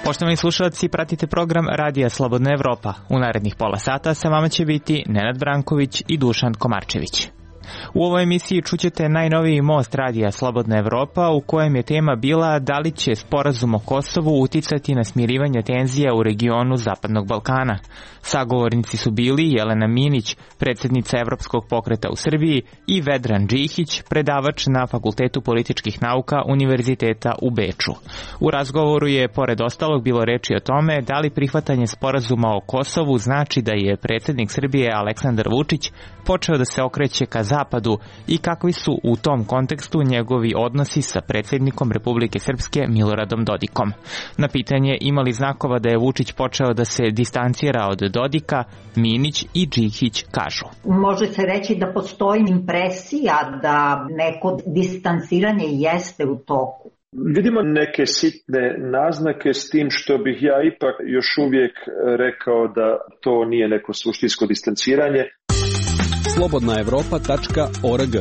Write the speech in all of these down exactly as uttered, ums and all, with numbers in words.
Poštovani slušalci, pratite program Radija Slobodna Evropa. U narednih pola sata sa vama će biti Nenad Branković i Dušan Komarčević. U ovoj emisiji čućete najnoviji most Radija Slobodna Evropa u kojem je tema bila da li će sporazum o Kosovu uticati na smirivanje tenzija u regionu Zapadnog Balkana. Sagovornici su bili Jelena Minić, predsjednica Evropskog pokreta u Srbiji, i Vedran Džihić, predavač na Fakultetu političkih nauka Univerziteta u Beču. U razgovoru je, pored ostalog, bilo reči o tome da li prihvatanje sporazuma o Kosovu znači da je predsjednik Srbije Aleksandar Vučić počeo da se okreće ka zapadu i kakvi su u tom kontekstu njegovi odnosi sa predsjednikom Republike Srpske Miloradom Dodikom. Na pitanje ima li znakova da je Vučić počeo da se distancira od Dodika, Minić i Džihić kažu. Može se reći da postoji impresija da neko distanciranje jeste u toku. Vidimo neke sitne naznake, s tim što bih ja ipak još uvijek rekao da to nije neko suštinsko distanciranje. slobodna evropa tačka org.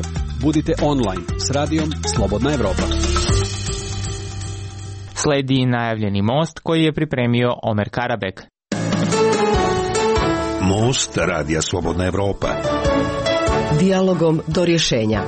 Budite online s radijom Slobodna Evropa. Sledi najavljeni most koji je pripremio Omer Karabek. Most Radija Slobodna Evropa. Dijalogom do rješenja.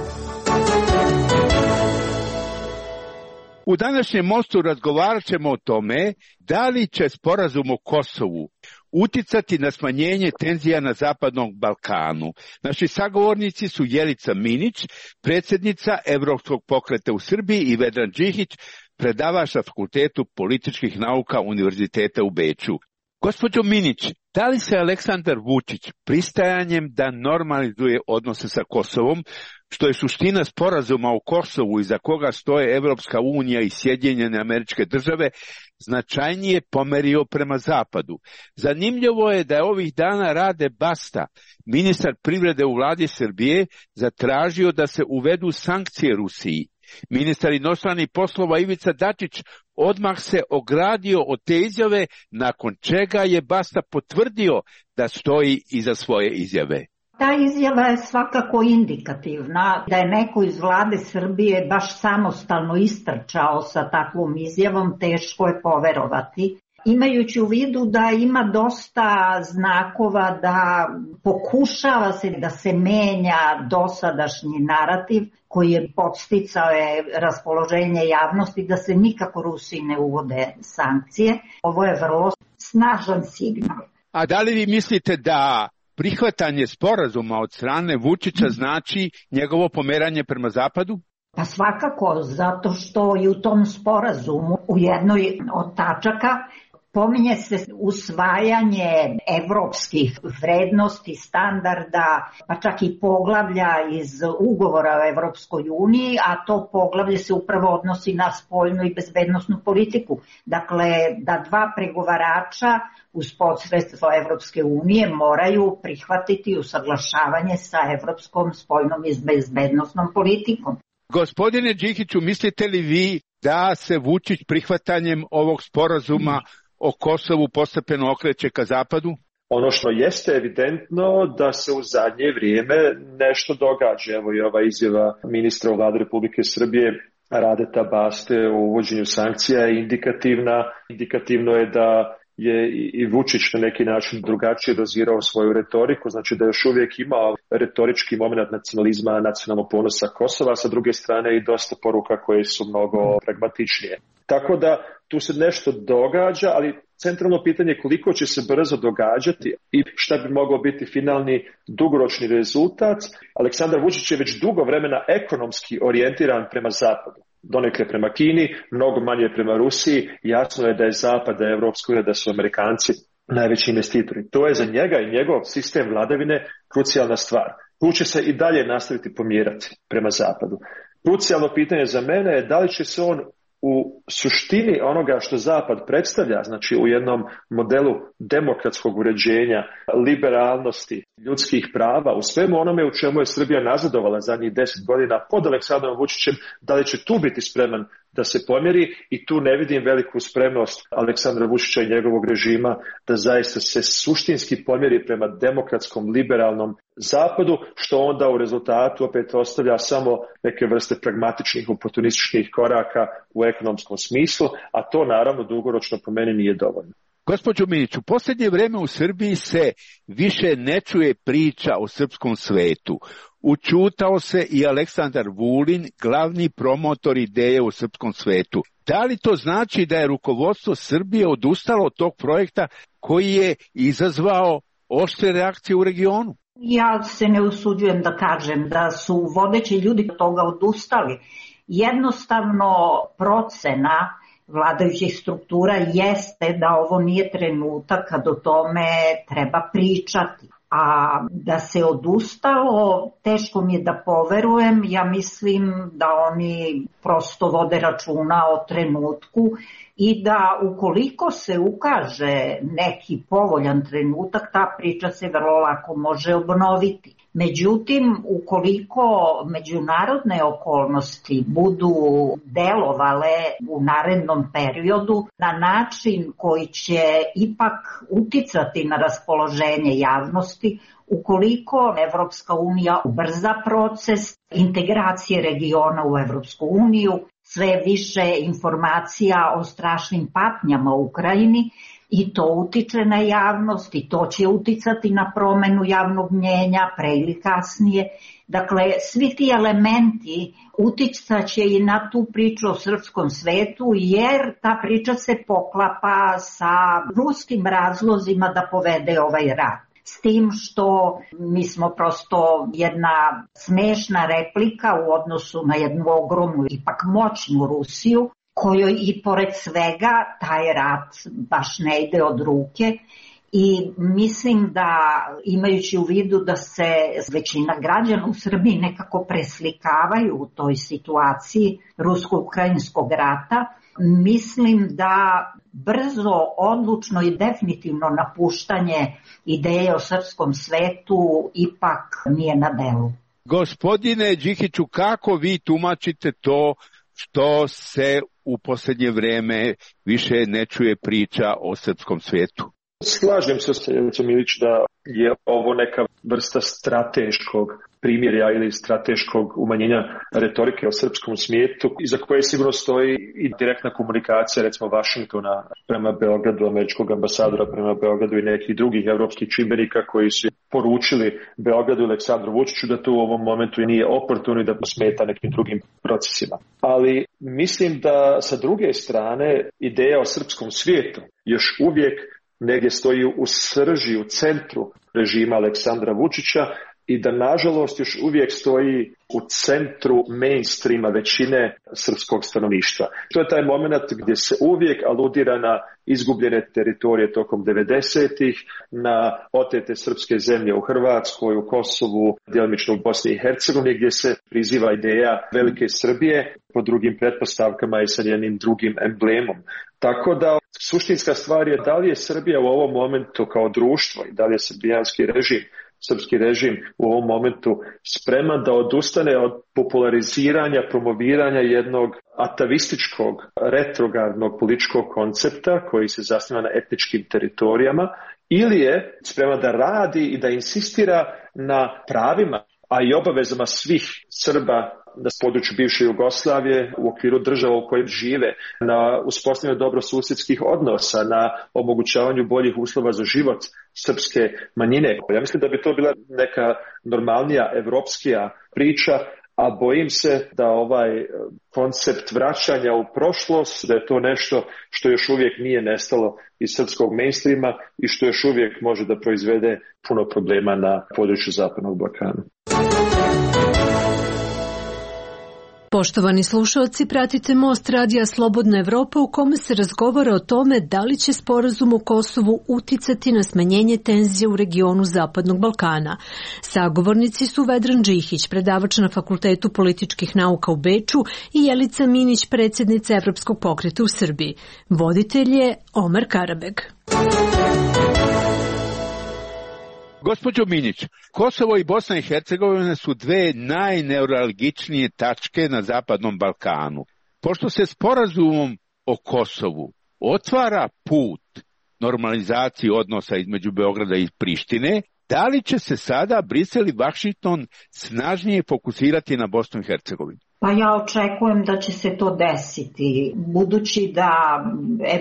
U današnjem mostu razgovarat ćemo o tome da li će sporazum o Kosovu uticati na smanjenje tenzija na Zapadnom Balkanu. Naši sagovornici su Jelica Minić, predsjednica Evropskog pokreta u Srbiji, i Vedran Džihić, predavač na Fakultetu političkih nauka Univerziteta u Beču. Gospođo Minić, da li se Aleksandar Vučić pristajanjem da normalizuje odnose sa Kosovom, što je suština sporazuma o Kosovu iza koga stoje Evropska unija i Sjedinjene Američke Države, značajnije pomerio prema zapadu? Zanimljivo je da je ovih dana Rade Basta, ministar privrede u vladi Srbije, zatražio da se uvedu sankcije Rusiji. Ministar inostranih poslova Ivica Dačić odmah se ogradio od te izjave, nakon čega je Basta potvrdio da stoji iza svoje izjave. Ta izjava je svakako indikativna. Da je neko iz vlade Srbije baš samostalno istrčao sa takvom izjavom, teško je poverovati. Imajući u vidu da ima dosta znakova da pokušava se da se menja dosadašnji narativ koji je podsticao je raspoloženje javnosti da se nikako Rusiji ne uvode sankcije. Ovo je vrlo snažan signal. A da li vi mislite da prihvatanje sporazuma od strane Vučića znači njegovo pomeranje prema zapadu? Pa svakako, zato što i u tom sporazumu u jednoj od tačaka pominje se usvajanje evropskih vrednosti, standarda, pa čak i poglavlja iz ugovora o Evropskoj uniji, a to poglavlje se upravo odnosi na spoljnu i bezbednosnu politiku. Dakle, da dva pregovarača uz posredstvo Evropske unije moraju prihvatiti usaglašavanje sa evropskom spoljnom i bezbednosnom politikom. Gospodine Džihiću, mislite li vi da se Vučić prihvatanjem ovog sporazuma o Kosovu postepeno okreće ka zapadu? Ono što jeste evidentno da se u zadnje vrijeme nešto događa. Evo i ova izjava ministra u vladi Republike Srbije Radeta Baste o uvođenju sankcija je indikativna. Indikativno je da je i Vučić na neki način drugačije dozirao svoju retoriku, znači da još uvijek ima retorički moment nacionalizma, nacionalnog ponosa Kosova, a sa druge strane i dosta poruka koje su mnogo pragmatičnije. Tako da tu se nešto događa, ali centralno pitanje je koliko će se brzo događati i šta bi mogao biti finalni dugoročni rezultat. Aleksandar Vučić je već dugo vremena ekonomski orijentiran prema zapadu. Donekle prema Kini, mnogo manje prema Rusiji. Jasno je da je Zapad, da je Evropska unija, da su Amerikanci najveći investitori. To je za njega i njegov sistem vladavine krucijalna stvar. Tu će se i dalje nastaviti pomjerati prema zapadu. Krucijalno pitanje za mene je da li će se on u suštini onoga što Zapad predstavlja, znači u jednom modelu demokratskog uređenja, liberalnosti, ljudskih prava, u svemu onome u čemu je Srbija nazadovala zadnjih deset godina pod Aleksandrom Vučićem, da li će tu biti spreman da se pomjeri i tu ne vidim veliku spremnost Aleksandra Vučića i njegovog režima da zaista se suštinski pomjeri prema demokratskom, liberalnom zapadu, što onda u rezultatu opet ostavlja samo neke vrste pragmatičnih, oportunističkih koraka u ekonomskom smislu, a to naravno dugoročno po meni nije dovoljno. Gospođo Minić, u posljednje vreme u Srbiji se više ne čuje priča o srpskom svetu. Učutao se i Aleksandar Vulin, glavni promotor ideje o srpskom svetu. Da li to znači da je rukovodstvo Srbije odustalo od tog projekta koji je izazvao oštre reakcije u regionu? Ja se ne usuđujem da kažem da su vodeći ljudi od toga odustali. Jednostavno procena vladajućih struktura jeste da ovo nije trenutak kad o tome treba pričati. A da se odustalo, teško mi je da poverujem, ja mislim da oni prosto vode računa o trenutku i da ukoliko se ukaže neki povoljan trenutak, ta priča se vrlo lako može obnoviti. Međutim, ukoliko međunarodne okolnosti budu delovale u narednom periodu na način koji će ipak uticati na raspoloženje javnosti, ukoliko Evropska unija ubrza proces integracije regiona u Evropsku uniju, sve više informacija o strašnim patnjama u Ukrajini, i to utiče na javnost i to će uticati na promenu javnog mnjenja pre ili kasnije. Dakle, svi ti elementi uticaće i na tu priču o srpskom svetu, jer ta priča se poklapa sa ruskim razlozima da povede ovaj rat. S tim što mi smo prosto jedna smešna replika u odnosu na jednu ogromnu, ipak moćnu Rusiju, kojoj i pored svega taj rat baš ne ide od ruke i mislim da imajući u vidu da se većina građana u Srbiji nekako preslikavaju u toj situaciji rusko-ukrajinskog rata, mislim da brzo, odlučno i definitivno napuštanje ideje o srpskom svetu ipak nije na delu. Gospodine Đikiću, kako vi tumačite to što se u posljednje vreme više ne čuje priča o srpskom svijetu? Slažem se s Milić da je ovo neka vrsta strateškog primjerja ili strateškog umanjenja retorike o srpskom svijetu, iza koje sigurno stoji i direktna komunikacija recimo Vašingtona prema Beogradu, američkog ambasadora prema Beogradu i nekih drugih evropskih čimbenika koji su poručili Beogradu i Aleksandru Vučiću da to u ovom momentu nije oportuno i da smeta nekim drugim procesima. Ali mislim da sa druge strane ideja o srpskom svijetu još uvijek negdje stoji u srži, u centru režima Aleksandra Vučića i da nažalost još uvijek stoji u centru mainstreama većine srpskog stanovništva. To je taj moment gdje se uvijek aludira na izgubljene teritorije tokom devedesetih, na otete srpske zemlje u Hrvatskoj, u Kosovu, djelomično u Bosni i Hercegovini, gdje se priziva ideja velike Srbije po drugim pretpostavkama i sa njenim drugim emblemom. Tako da suštinska stvar je da li je Srbija u ovom momentu kao društvo i da li je srbijanski režim, srpski režim u ovom momentu spreman da odustane od populariziranja, promoviranja jednog atavističkog, retrogradnog političkog koncepta koji se zasniva na etničkim teritorijama, ili je spreman da radi i da insistira na pravima, a i obavezama svih Srba na području bivše Jugoslavije u okviru država u kojim žive, na uspostavljanju dobrosusjedskih odnosa, na omogućavanju boljih uslova za život srpske manjine. Ja mislim da bi to bila neka normalnija evropskija priča, a bojim se da ovaj koncept vraćanja u prošlost, da je to nešto što još uvijek nije nestalo iz srpskog mainstreama i što još uvijek može da proizvede puno problema na području Zapadnog Balkana. Poštovani slušalci, pratite Most radija Slobodna Evropa u kome se razgovara o tome da li će sporazum o Kosovu uticati na smanjenje tenzija u regionu Zapadnog Balkana. Sagovornici su Vedran Đikić, predavač na Fakultetu političkih nauka u Beču, i Jelica Minić, predsjednica Evropskog pokreta u Srbiji. Voditelj je Omer Karabeg. Gospođo Minić, Kosovo i Bosna i Hercegovina su dve najneuralgičnije tačke na Zapadnom Balkanu. Pošto se sporazumom o Kosovu otvara put normalizaciji odnosa između Beograda i Prištine, da li će se sada Brisel i Vašington snažnije fokusirati na Bosnu i Hercegovinu? Pa ja očekujem da će se to desiti, budući da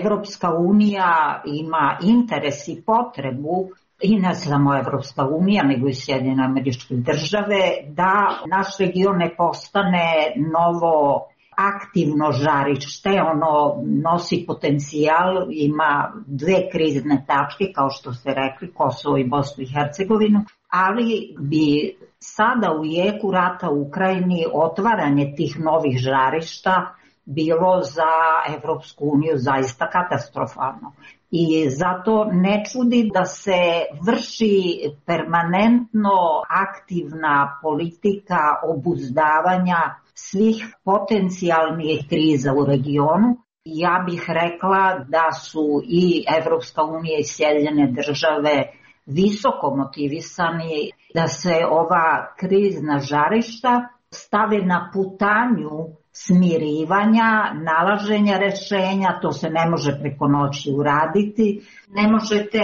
Evropska unija ima interes i potrebu, i ne samo Evropska unija, nego i Sjedinjene Američke Države, da naš region ne postane novo aktivno žarište, ono nosi potencijal, ima dve krizne tačke, kao što ste rekli, Kosovo i Bosnu i Hercegovinu, ali bi sada u jeku rata u Ukrajini otvaranje tih novih žarišta bilo za Evropsku uniju zaista katastrofalno. I zato ne čudi da se vrši permanentno aktivna politika obuzdavanja svih potencijalnih kriza u regionu. Ja bih rekla da su i Evropska unija i Sjedinjene Države visoko motivisani da se ova krizna žarišta stave na putanju smirivanja, nalaženja rešenja. To se ne može preko noći uraditi. Ne možete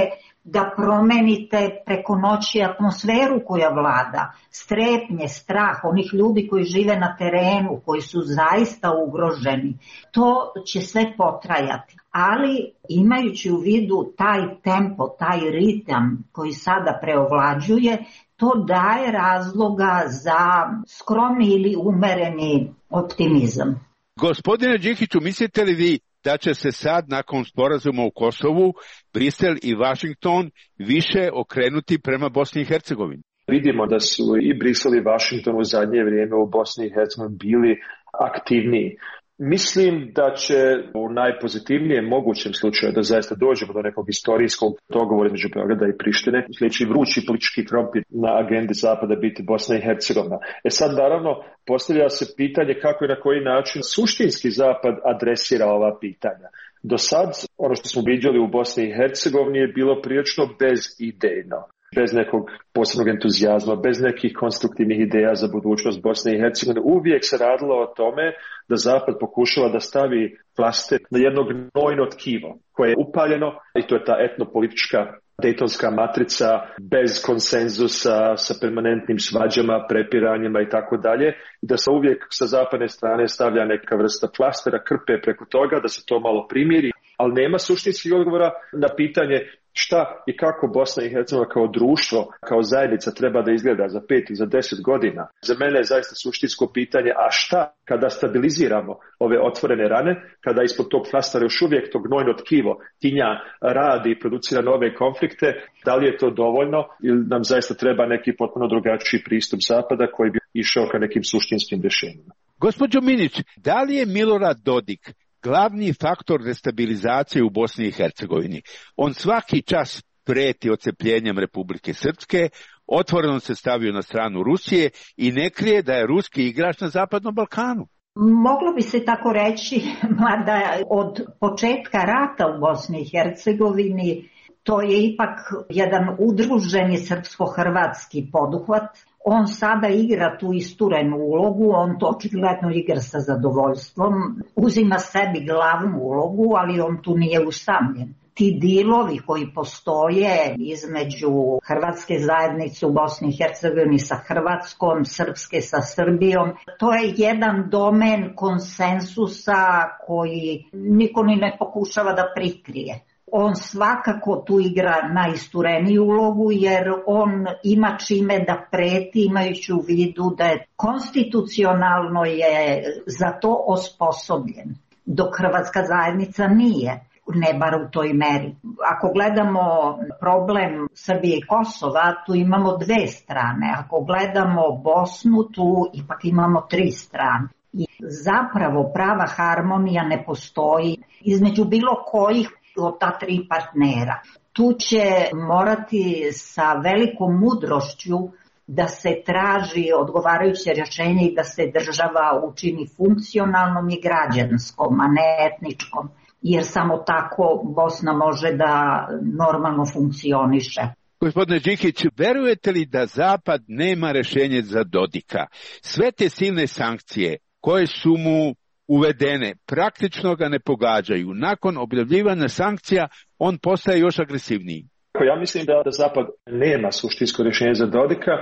da promenite preko noći atmosferu koja vlada, strepnje, strah onih ljudi koji žive na terenu, koji su zaista ugroženi. To će sve potrajati. Ali imajući u vidu taj tempo, taj ritam koji sada preovlađuje, to daje razloga za skromni ili umereni optimizam. Gospodine Đikiću, mislite li vi da će se sad nakon sporazuma u Kosovu Brisel i Vašington više okrenuti prema Bosni i Hercegovini? Vidimo da su i Brisel i Vašington u zadnje vrijeme u Bosni i Hercegovini bili aktivniji. Mislim da će u najpozitivnijem mogućem slučaju da zaista dođemo do nekog historijskog dogovora između Beograda i Prištine, sljedeći vrući politički krompir na agendi Zapada biti Bosna i Hercegovina. E sad naravno postavlja se pitanje kako i na koji način suštinski Zapad adresira ova pitanja. Do sad ono što smo viđali u Bosni i Hercegovini je bilo prilično bezidejno, bez nekog posebnog entuzijazma, bez nekih konstruktivnih ideja za budućnost Bosne i Hercegovine. Uvijek se radilo o tome da Zapad pokušava da stavi plaster na jedno gnojno tkivo koje je upaljeno, i to je ta etnopolitička dejtonska matrica bez konsenzusa, sa permanentnim svađama, prepiranjima i tako dalje, i da se uvijek sa zapadne strane stavlja neka vrsta plastera, krpe preko toga, da se to malo primiri, ali nema suštinskih odgovora na pitanje šta i kako Bosna i Hercegovina kao društvo, kao zajednica treba da izgleda za pet i za deset godina. Za mene je zaista suštinsko pitanje, a šta kada stabiliziramo ove otvorene rane, kada ispod tog flastera još uvijek to gnojno tkivo tinja radi i producira nove konflikte, da li je to dovoljno ili nam zaista treba neki potpuno drugačiji pristup Zapada koji bi išao ka nekim suštinskim rješenjima. Gospođo Minić, da li je Milorad Dodik glavni faktor destabilizacije u Bosni i Hercegovini? On svaki čas preti odcepljenjem Republike Srpske, otvoreno se stavio na stranu Rusije i ne krije da je ruski igrač na Zapadnom Balkanu. Moglo bi se tako reći, mada od početka rata u Bosni i Hercegovini to je ipak jedan udruženi srpsko-hrvatski poduhvat. On sada igra tu isturenu ulogu, on to očigledno igra sa zadovoljstvom, uzima sebi glavnu ulogu, ali on tu nije usamljen. Ti dilovi koji postoje između hrvatske zajednice u Bosni i Hercegovini sa Hrvatskom, srpske sa Srbijom, to je jedan domen konsensusa koji niko ni ne pokušava da prikrije. On svakako tu igra najistureniju ulogu jer on ima čime da preti, imajući u vidu da je konstitucionalno je za to osposobljen, dok hrvatska zajednica nije, ne bar u toj meri. Ako gledamo problem Srbije i Kosova, tu imamo dve strane. Ako gledamo Bosnu, tu ipak imamo tri strane. I zapravo prava harmonija ne postoji između bilo kojih od ta tri partnera. Tu će morati sa velikom mudrošću da se traži odgovarajuće rješenje i da se država učini funkcionalnom i građanskom, a ne etničkom, jer samo tako Bosna može da normalno funkcioniše. Gospodine Đikić, verujete li da Zapad nema rješenje za Dodika? Sve te silne sankcije koje su mu uvedene praktično ga ne pogađaju. Nakon objavljivanja sankcija on postaje još agresivniji. Ja mislim da, da Zapad nema suštinsko rješenje za Dodika.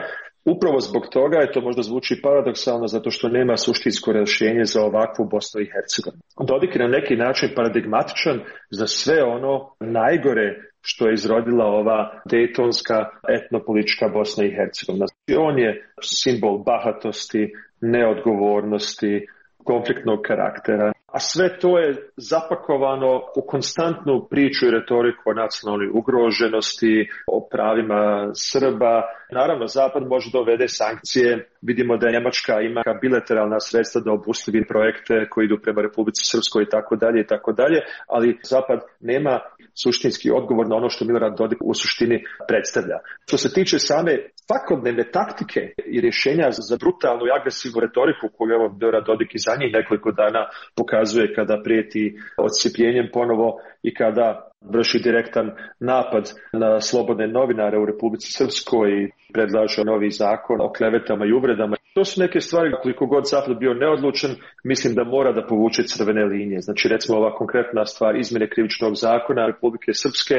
Upravo zbog toga je to možda zvuči paradoksalno, zato što nema suštinsko rješenje za ovakvu Bosnu i Hercegovinu. Dodik je na neki način paradigmatičan za sve ono najgore što je izrodila ova dejtonska etnopolitička Bosna i Hercegovina. On je simbol bahatosti, neodgovornosti, konfliktnog karaktera, a sve to je zapakovano u konstantnu priču i retoriku o nacionalnoj ugroženosti, o pravima Srba. Naravno, Zapad može da uvede sankcije. Vidimo da Njemačka ima bilateralna sredstva da obustavi projekte koji idu prema Republici Srpskoj i tako dalje i tako dalje, ali Zapad nema suštinski odgovor na ono što Milorad Dodik u suštini predstavlja. Što se tiče same svakodnevne taktike i rješenja za brutalnu i agresivnu retoriku koju evo Milorad Dodik i za njih nekoliko dana pokazuje kada prijeti odsjepljenjem ponovo i kada vrši direktan napad na slobodne novinare u Republici Srpskoj i predlaže novi zakon o klevetama i uvredama. To su neke stvari, koliko god Zapad bio neodlučan, mislim da mora da povuče crvene linije. Znači, recimo ova konkretna stvar izmjene krivičnog zakona Republike Srpske,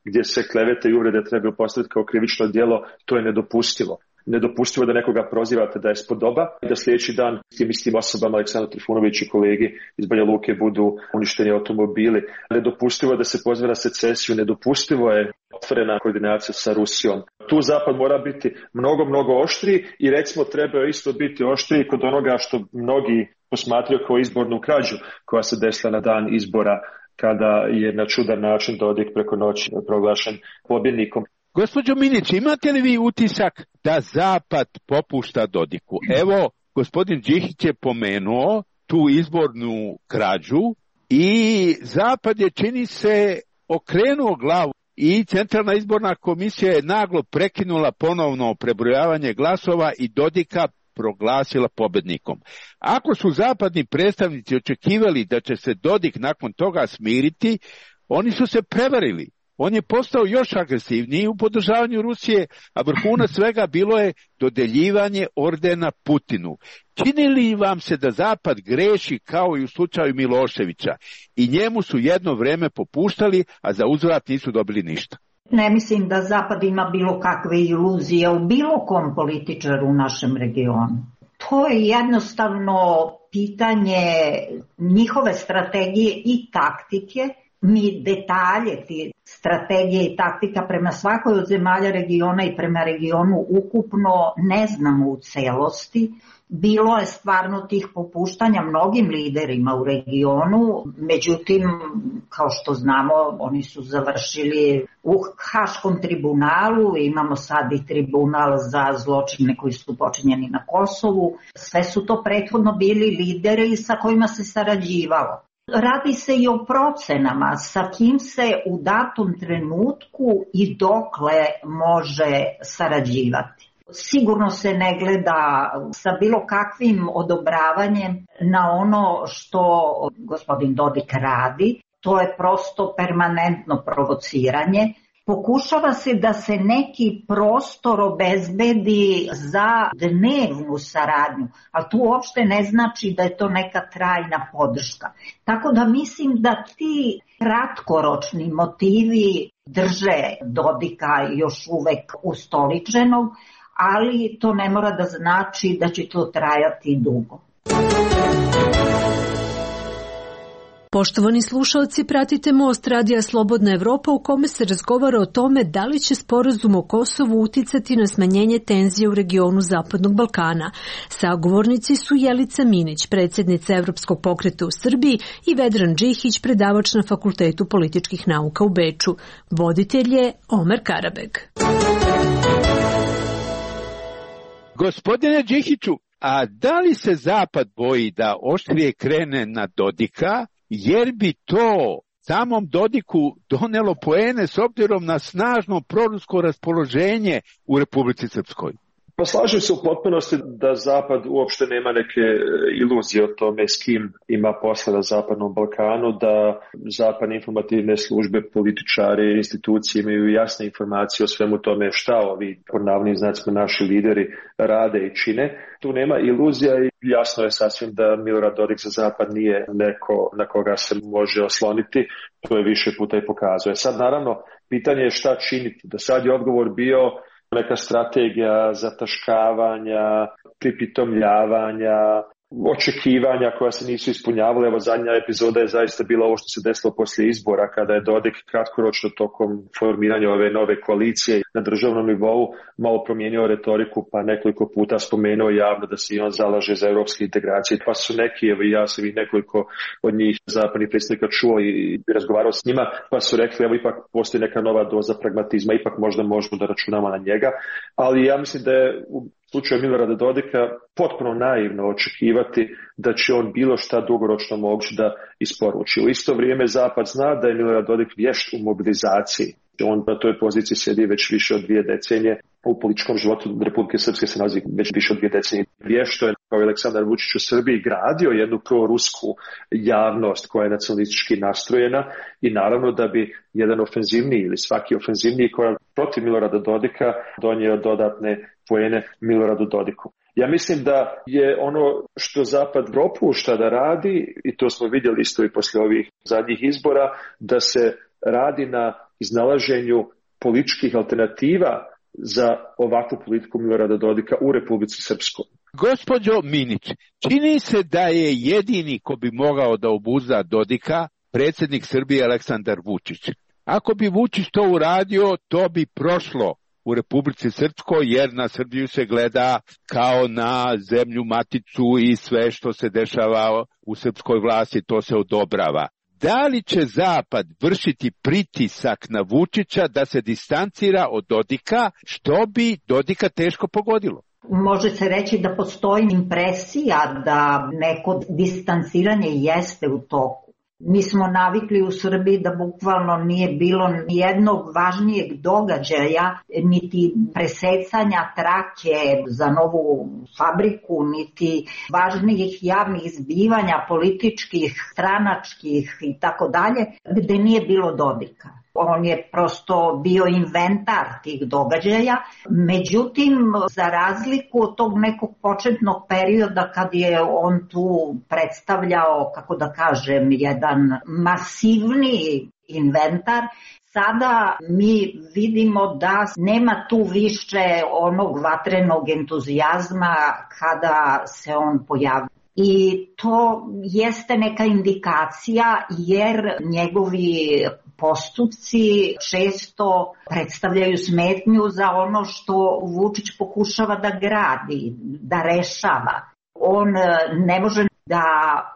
gdje se klevete i uvrede trebaju postaviti kao krivično djelo, to je nedopustivo. Nedopustivo da nekoga prozivate da je spodoba i da sljedeći dan tim istim osobama Aleksandar Trifunović i kolegi iz Banja Luke budu uništeni automobili. Nedopustivo da se poziva na secesiju, nedopustivo je otvorena koordinacija sa Rusijom. Tu Zapad mora biti mnogo, mnogo oštriji i recimo treba isto biti oštriji kod onoga što mnogi posmatraju kao izbornu krađu koja se desila na dan izbora kada je na čudan način Dodik preko noći proglašen pobjednikom. Gospođo Minić, imate li vi utisak da Zapad popušta Dodiku? Evo, gospodin Đihić je pomenuo tu izbornu krađu i Zapad je, čini se, okrenuo glavu i Centralna izborna komisija je naglo prekinula ponovno prebrojavanje glasova i Dodika proglasila pobjednikom. Ako su zapadni predstavnici očekivali da će se Dodik nakon toga smiriti, oni su se prevarili. On je postao još agresivniji u podržavanju Rusije, a vrhunac svega bilo je dodeljivanje ordena Putinu. Čini li vam se da Zapad greši kao i u slučaju Miloševića i njemu su jedno vrijeme popuštali, a za uzvrat nisu dobili ništa? Ne mislim da Zapad ima bilo kakve iluzije u bilo kom političaru u našem regionu. To je jednostavno pitanje njihove strategije i taktike. Mi detalje ti strategije i taktika prema svakoj od zemalja regiona i prema regionu ukupno ne znamo u celosti. Bilo je stvarno tih popuštanja mnogim liderima u regionu, međutim, kao što znamo, oni su završili u Haškom tribunalu, imamo sad i tribunal za zločine koji su počinjeni na Kosovu. Sve su to prethodno bili lideri sa kojima se sarađivalo. Radi se i o procenama sa kim se u datom trenutku i dokle može sarađivati. Sigurno se ne gleda sa bilo kakvim odobravanjem na ono što gospodin Dodik radi. To je prosto permanentno provociranje. Pokušava se da se neki prostor obezbedi za dnevnu saradnju, ali tu uopšte ne znači da je to neka trajna podrška. Tako da mislim da ti kratkoročni motivi drže Dodika još uvek ustoličenog, ali to ne mora da znači da će to trajati dugo. Poštovani slušalci, pratite Most Radija Slobodna Evropa u kome se razgovara o tome da li će sporazum o Kosovu uticati na smanjenje tenzije u regionu Zapadnog Balkana. Sagovornici su Jelica Minić, predsjednica Evropskog pokreta u Srbiji, i Vedran Đihić, predavač na Fakultetu političkih nauka u Beču. Voditelj je Omer Karabeg. Gospodine Đihiću, a da li se Zapad boji da oštrije krene na Dodika, jer bi to samom Dodiku donelo poene s obzirom na snažno prorusko raspoloženje u Republici Srpskoj? Pa slažem se u potpunosti da Zapad uopšte nema neke iluzije o tome s kim ima posla na Zapadnom Balkanu, da zapadne informativne službe, političari, institucije imaju jasne informacije o svemu tome šta ovi, po navodnim znacima, naši lideri rade i čine. Tu nema iluzija i jasno je sasvim da Milorad Dodik za Zapad nije neko na koga se može osloniti. To je više puta i pokazuje. Sad naravno, pitanje je šta činiti. Do sad je odgovor bio neka strategija zataškavanja, pripitomljavanja, očekivanja koja se nisu ispunjavale. Evo, zadnja epizoda je zaista bila ovo što se desilo poslije izbora, kada je Dodik kratkoročno tokom formiranja ove nove koalicije na državnom nivou malo promijenio retoriku, pa nekoliko puta spomenuo javno da se i on zalaže za europske integracije. Pa su neki, evo i ja sam i nekoliko od njih zapadnih predsjednika čuo i razgovarao s njima, pa su rekli evo ipak postoji neka nova doza pragmatizma, ipak možda možemo da računamo na njega, ali ja mislim da je u slučaju Milorada Dodika potpuno naivno očekivati da će on bilo šta dugoročno moći da isporuči. U isto vrijeme Zapad zna da je Milorad Dodik vješt u mobilizaciji. On na toj poziciji sjedi već više od dvije decenije. U političkom životu Republike Srpske se nalazi već više od dvije decenije. Vješto je kao Aleksandar Vučić u Srbiji gradio jednu prorusku javnost koja je nacionalistički nastrojena i naravno da bi jedan ofenzivniji ili svaki ofenzivniji korak protiv Milorada Dodika donio dodatne poene Miloradu Dodiku. Ja mislim da je ono što Zapad propušta da radi, i to smo vidjeli isto i poslije ovih zadnjih izbora, da se radi na iznalaženju političkih alternativa za ovakvu politiku Milorada Dodika u Republici Srpskoj. Gospođo Minić, čini se da je jedini ko bi mogao da obuzda Dodika predsjednik Srbije Aleksandar Vučić. Ako bi Vučić to uradio, to bi prošlo u Republici Srpskoj, jer na Srbiju se gleda kao na zemlju maticu i sve što se dešava u srpskoj vlasti, to se odobrava. Da li će Zapad vršiti pritisak na Vučića da se distancira od Dodika, što bi Dodika teško pogodilo? Može se reći da postoji impresija da neko distanciranje jeste u toku. Mi smo navikli u Srbiji da bukvalno nije bilo nijednog važnijeg događaja, niti presecanja trake za novu fabriku, niti važnijih javnih zbivanja, političkih, stranačkih i tako dalje, gde nije bilo Dodika. On je prosto bio inventar tih događaja, međutim, za razliku od tog nekog početnog perioda kad je on tu predstavljao, kako da kažem, jedan masivni inventar, sada mi vidimo da nema tu više onog vatrenog entuzijazma kada se on pojavlja. I to jeste neka indikacija jer njegovi postupci često predstavljaju smetnju za ono što Vučić pokušava da gradi, da rešava. On ne može da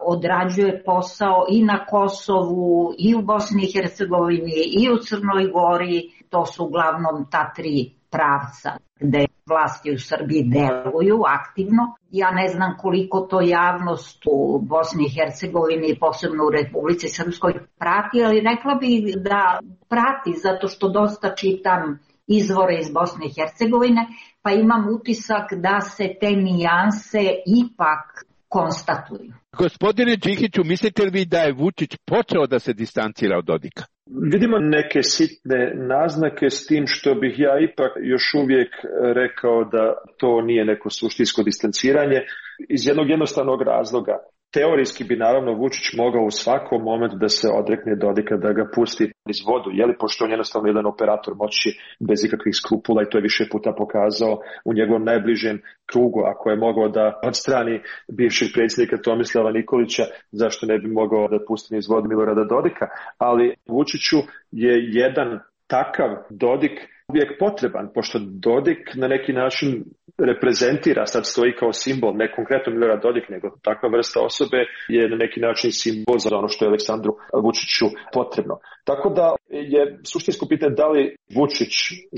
odrađuje posao i na Kosovu, i u Bosni i Hercegovini, i u Crnoj Gori. To su uglavnom ta tri pravca gde vlasti u Srbiji deluju aktivno. Ja ne znam koliko to javnost u Bosni i Hercegovini, posebno u Republici Srpskoj, prati, ali rekla bih da prati zato što dosta čitam izvore iz Bosne i Hercegovine, pa imam utisak da se te nijanse ipak konstatuju. Gospodine Đikiću, mislite li vi da je Vučić počeo da se distancira od Dodika? Vidimo neke sitne naznake, s tim što bih ja ipak još uvijek rekao da to nije neko suštinsko distanciranje iz jednog jednostavnog razloga. Teorijski bi naravno Vučić mogao u svakom momentu da se odrekne Dodika, da ga pusti iz vodu, je li, pošto on jednostavno jedan operator moći bez ikakvih skrupula i to je više puta pokazao u njegovom najbližem krugu. Ako je mogao da odstrani bivšeg predsjednika Tomislava Nikolića, zašto ne bi mogao da pusti iz vodu Milorada Dodika? Ali Vučiću je jedan takav Dodik uvijek potreban, pošto Dodik na neki način reprezentira, sad stoji kao simbol, ne konkretno Milorad Dodik, nego takva vrsta osobe je na neki način simbol za ono što je Aleksandru Vučiću potrebno. Tako da je suštinsko pitanje da li Vučić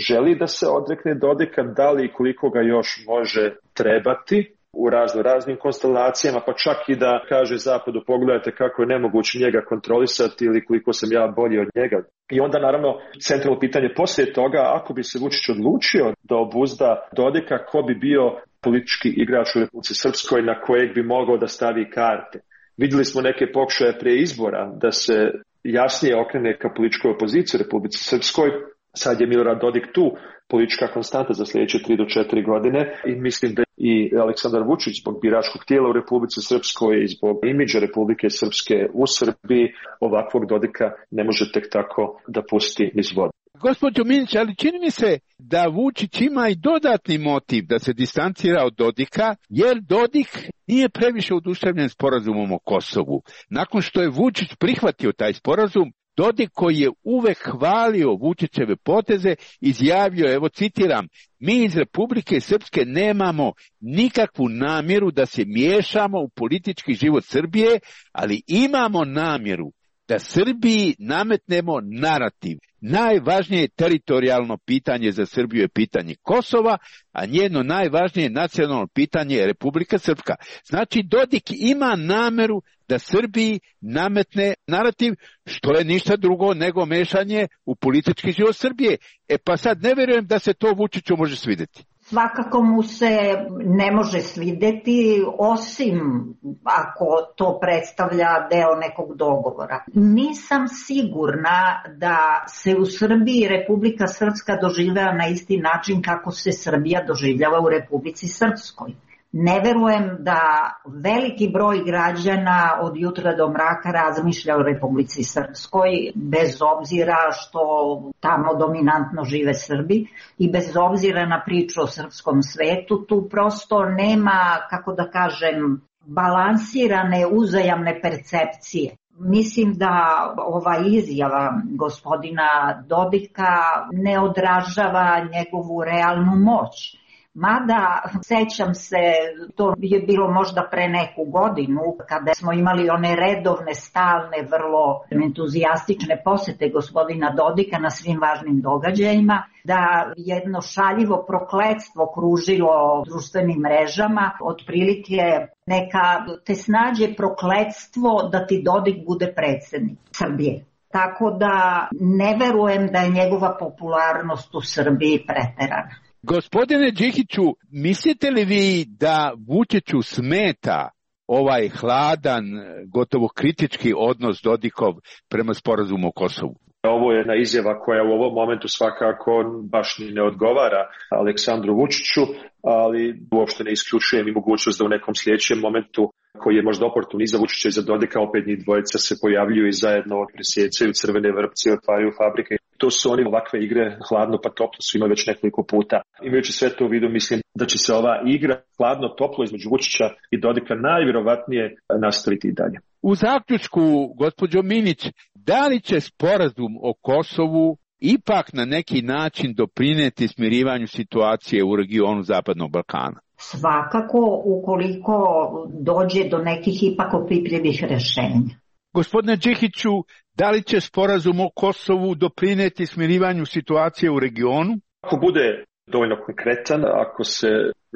želi da se odrekne Dodika, da li i koliko ga još može trebati, u razno raznim konstelacijama, pa čak i da kaže Zapadu pogledajte kako je nemoguće njega kontrolisati ili koliko sam ja bolji od njega. I onda naravno centralno pitanje poslije toga, ako bi se Vučić odlučio da obuzda Dodika, ko bi bio politički igrač u Republici Srpskoj na kojeg bi mogao da stavi karte. Vidjeli smo neke pokušaje prije izbora da se jasnije okrene ka političkoj opoziciji u Republici Srpskoj. Sad je Milorad Dodik tu politička konstanta za sljedeće tri do četiri godine i mislim da i Aleksandar Vučić zbog biračkog tijela u Republici Srpskoj i zbog imidža Republike Srpske u Srbiji ovakvog Dodika ne može tek tako da pusti niz vodu. Gospođo Minić, ali čini mi se da Vučić ima i dodatni motiv da se distancira od Dodika, jer Dodik nije previše oduševljen sporazumom o Kosovu. Nakon što je Vučić prihvatio taj sporazum, Dodik koji je uvek hvalio Vučićeve poteze, izjavio, evo citiram, mi iz Republike Srpske nemamo nikakvu namjeru da se miješamo u politički život Srbije, ali imamo namjeru da Srbiji nametnemo narativ. Najvažnije teritorijalno pitanje za Srbiju je pitanje Kosova, a njeno najvažnije nacionalno pitanje je Republika Srpska. Znači, Dodik ima nameru da Srbiji nametne narativ, što je ništa drugo nego mešanje u politički život Srbije. E pa sad ne vjerujem da se to Vučiću može svidjeti. Svakako mu se ne može svidjeti, osim ako to predstavlja deo nekog dogovora. Nisam sigurna da se u Srbiji Republika Srpska doživljava na isti način kako se Srbija doživljava u Republici Srpskoj. Ne verujem da veliki broj građana od jutra do mraka razmišlja o Republici Srpskoj, bez obzira što tamo dominantno žive Srbi i bez obzira na priču o srpskom svetu, tu prosto nema, kako da kažem, balansirane uzajamne percepcije. Mislim da ova izjava gospodina Dodika ne odražava njegovu realnu moć. Mada, sećam se, to je bilo možda pre neku godinu, kada smo imali one redovne, stalne, vrlo entuzijastične posete gospodina Dodika na svim važnim događajima, da jedno šaljivo prokletstvo kružilo društvenim mrežama, otprilike neka te snađe prokletstvo da ti Dodik bude predsjednik Srbije. Tako da ne verujem da je njegova popularnost u Srbiji preterana. Gospodine Đikiću, mislite li vi da Vučiću smeta ovaj hladan, gotovo kritički odnos Dodikov prema sporazumu o Kosovu? Ovo je jedna izjava koja u ovom momentu svakako baš ni ne odgovara Aleksandru Vučiću, ali uopšte ne isključujem i mogućnost da u nekom sljedećem momentu koji je možda oportun i za Vučića i za Dodika, opet njih dvojica se pojavljuju i zajedno presjecaju crvene vrpce i otvaraju fabrike. To su oni ovakve igre, hladno pa toplo, su imali već nekoliko puta. Imajući sve to u vidu, mislim da će se ova igra hladno toplo između Vučića i Dodika najvjerovatnije nastaviti i dalje. U zaključku, gospođo Minić, da li će sporazum o Kosovu ipak na neki način doprineti smirivanju situacije u regionu Zapadnog Balkana? Svakako, ukoliko dođe do nekih ipak opipljivih rešenja. Gospodine Đikiću, da li će sporazum o Kosovu doprineti smirivanju situacije u regionu? Ako bude dovoljno konkretan, ako se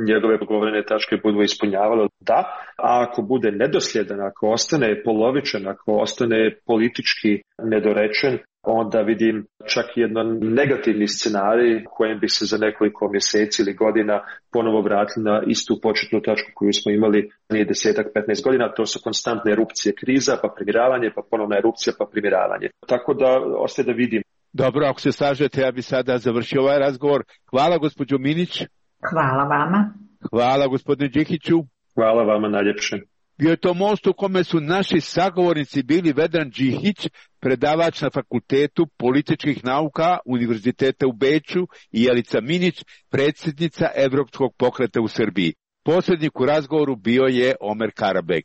njegove dogovorene tačke budu ispunjavale, da, a ako bude nedosljedan, ako ostane polovičan, ako ostane politički nedorečen, onda vidim čak jedan negativni scenarij kojem bi se za nekoliko mjeseci ili godina ponovo vratili na istu početnu tačku koju smo imali nije desetak, petnaest godina. To su konstantne erupcije kriza, pa primiravanje, pa ponovna erupcija, pa primiravanje. Tako da ostaje da vidim. Dobro, ako se slažete, ja bi sada završio ovaj razgovor. Hvala gospođo Minić. Hvala vama. Hvala gospodine Đikiću. Hvala vama najljepše. Bio je to most u kome su naši sagovornici bili Vedran Đikić, predavač na Fakultetu političkih nauka Univerziteta u Beču, i Jelica Minić, predsjednica Evropskog pokreta u Srbiji. Posrednik u razgovoru bio je Omer Karabek.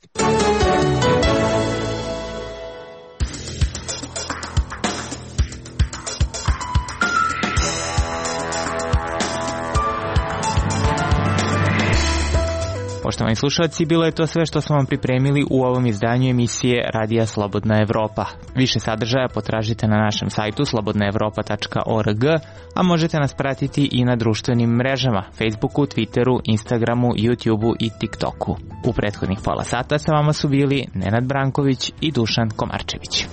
Poštovani slušalci, bilo je to sve što smo vam pripremili u ovom izdanju emisije Radija Slobodna Evropa. Više sadržaja potražite na našem sajtu slobodna evropa tačka org, a možete nas pratiti i na društvenim mrežama, Facebooku, Twitteru, Instagramu, YouTubeu i TikToku. U prethodnih pola sata sa vama su bili Nenad Branković i Dušan Komarčević.